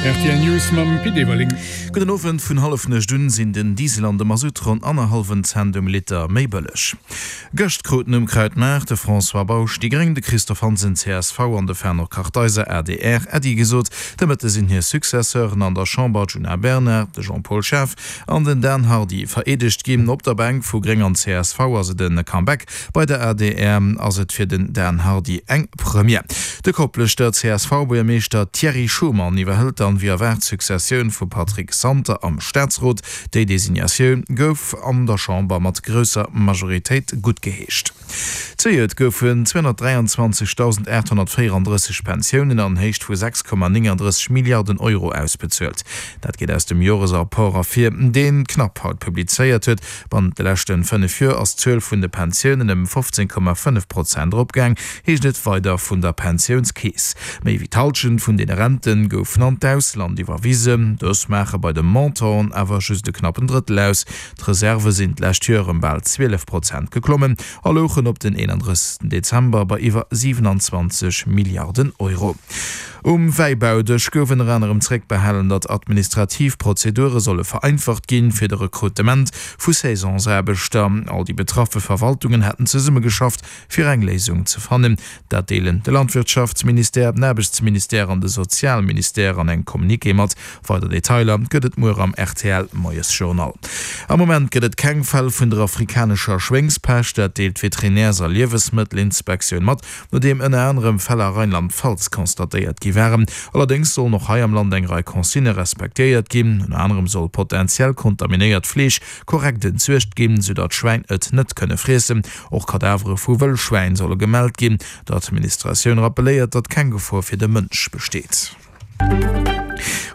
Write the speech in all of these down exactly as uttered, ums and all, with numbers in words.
Rtl News mam Pit Everling. Gudden Owend, Vun Hallefnuecht un sinn den Diesel an de Masutt ronn annerhallwen Cent um Liter méi bëlleg. Gëscht kruten um Krautmaart de François Bausch, déi gréng, de Christophe Hansen, csv, an de Fernand Kartheiser, adr, Äddi gesot. De Mëtte sinn hir Successeuren an der Chamber, d'Djuna Bernard, de Jean-Paul Schaaf an den Dan Hardy vereedegt ginn. Op der Bänk vu gréng an csv ass et e Comeback, bei der adr ass et fir den Dan Hardy eng Première. De Kopleschter CSV-Buergermeeschter Thierry Schuman iwwerhëlt dann wéi erwaart d'Successioun vum Patrick Santer am Staatsrot. Déi Designatioun gouf an der Chamber mat grousser Majoritéit guttgeheescht. Zejoert goufen zweehonnertdräianzwanzegdausendaathonnertvéierandrësseg Pensiounen an Héicht vu sechs Komma nénganddrësseg Milliarden Euro ausbezuelt. Dat geet aus dem Joresrapport ervir, deen d'Knapp haut publizéiert huet. Bannent de leschte fënnef Joer ass d'Zuel vun de Pensiounen ëm fofzéng Komma fënnef Prozent eropgaang, heescht et weider vun der Pensiounskeess. Méi wéi d'Hallschent vun deene Rente goufen an d'Ausland iwwerwisen. Dës maache bei de Montanten awer just e knappen Drëttel aus. D'Reserve sinn d'lescht Joer ëm bal zwielef Prozent geklommen a louchen op den eenandrëssegsten Dezember bei iwwer siwenanzwanzeg Milliarden Euro. Um Wäibaudësch gouf ënner anerem zréckbehalen, datt administrativ Prozedure solle vereinfacht ginn, fir de Rekrutement vu Saisonsaarbechter. All déi betraffe Verwaltungen hätten zesummegeschafft, fir eng Léisung ze fannen. Dat deelen de Landwirtschaftsministère, den Aarbechtsministère an de Sozialministère an engem Communiqué mat. Weider Detailer gëtt et muer am R T L Moiesjournal. Am Moment gëtt et keng Fäll vun der afrikanescher Schwéngspescht. Dat deelt d'Veterinärs a Liewesmëttelinspektioun mat, nodeem ënner anerem Fäll a Rheinland-Pfalz constatéiert gi waren. Allerdéngs sollen och hei am Land eng Rei Consignë respektéiert ginn. Ënner anerem soll potentiell kontaminéiert Fleesch korrekt entsuergt ginn, sou datt Schwäin et net kënne friessen. Och Kadavere vu Wëllschwäin solle gemellt ginn. D'Administratioun rappelléiert, datt keng Gefor fir de Mënsch besteet.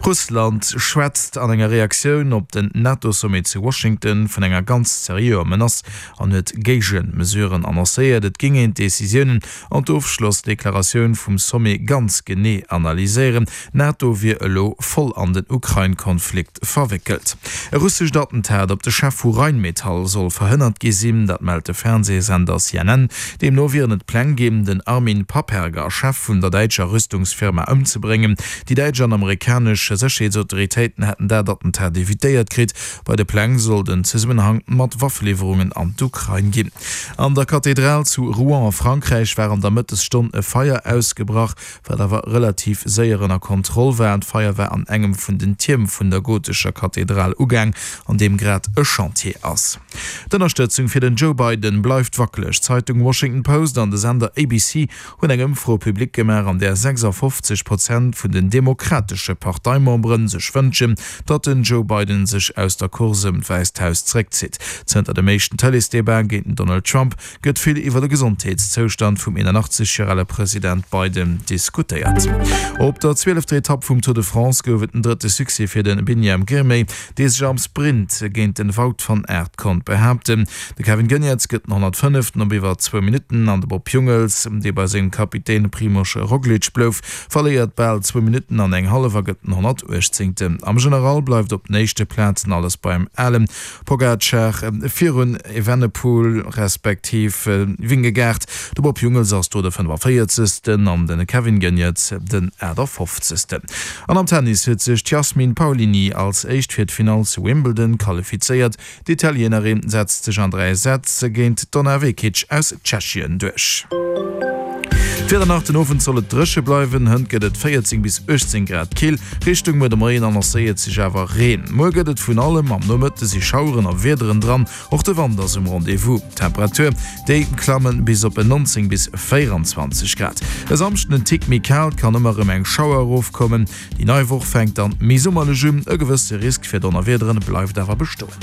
Russland schwätzt an enger Reaktioun op den NATO-Sommet zu Washington vun enger ganz seriöer Menace an huet Géigemesuren annoncéiert. Et géing een d'Decisiounen an d'Ofschlossdeklaratioun vum Sommet ganz genee analyséieren. D'NATO wier elo voll an den Ukrain-Konflikt verwéckelt. E russescht Attentat op de Chef vu Rheinmetall soll verhënnert gi sinn, dat mellt de Fernseesender C N N. Deemno wieren et Pläng ginn, den Armin Papperger, Chef vun der däitscher Rüstungsfirma, ëmzebréngen. Déi däitsch an amerikanesch Sécherheetsautoritéiten hätten dat Attentat evitéiert kritt. Bei de Pläng soll et en Zesummenhang mat Waffeliwwerungen an d'Ukrain ginn. An der Kathedral zu Rouen a Frankräich war an der Mëttesstonn e Feier ausgebrach, wat awer relativ séier ënner Kontroll war. D'Feier war an engem vun den Tierm vun der gotescher Kathedral ugaang, an deem grad e Chantier ass. D'Ënnerstëtzung fir den Joe Biden bleift wackeleg. D'Zeitung Washington Post an de Sender A B C hunn eng Ëmfro public gemaach, an där sechsafofzeg Prozent vun den demokratesche Parteimembere sech wënschen, datt den Joe Biden sech aus der Course ëm d'Wäisst Haus zeréckzitt. Zënter dem éischten Tëleesdebat géint den Donald Trump gëtt vill iwwer de Gesondheetszoustand vum eenanachtzeg Joer ale President Biden diskutéiert. Op der zwielefter Etapp vum Tour de France gouf et den drëtte Succès fir de Biniam Girmay, dee sech am Sprint géint de Wout van Aert konnt behaapten. De Kevin Geniets gëtt den honnertfënneften op iwwer zwou Minutten an de Bob Jungels, dee bei sengem Kapitän Primož Roglič blouf, verléiert bal zwou Minutten an eng hallef a gëtt den honnertuechtzéngten. Am General bleift op den éischte Plazen alles beim Alen. Pogacar virun Evenepoel respektiv Vingegaard. De Bob Jungels ass do de fënnefavéierzegsten an de Kevin Geniets den aachtafofzegsten. An am Tennis huet sech d'Jasmine Paolini als éischt fir d'Finall zu Wimbledon qualifizéiert. D'Italienerin setzt sech an dräi Sätz géint d'Donna Vekic aus Tschechien duerch. D'Wieder nach, Den Owend soll et dréche bleiwen, hënt gëtt et véierzéng bis uechtzéng Grad kill. Richtung muer de Moien annoncéiert sech awer Reen. Muer gëtt et vun allem, am Nomëtte si Schaueren a Wiederen dran, och de Wand ass um Rendez-vous. D'Temperature, déi klammen bis op neunzéng bis véieranzwanzeg Grad. E Samschden en Tick méi kal, et kann ëmmer erëm eng Schauer erofkommen. Déi nei Woch fänkt dann méi summerlech un, e gewësse Risk fir Donnerwiederen bleift awer bestoen.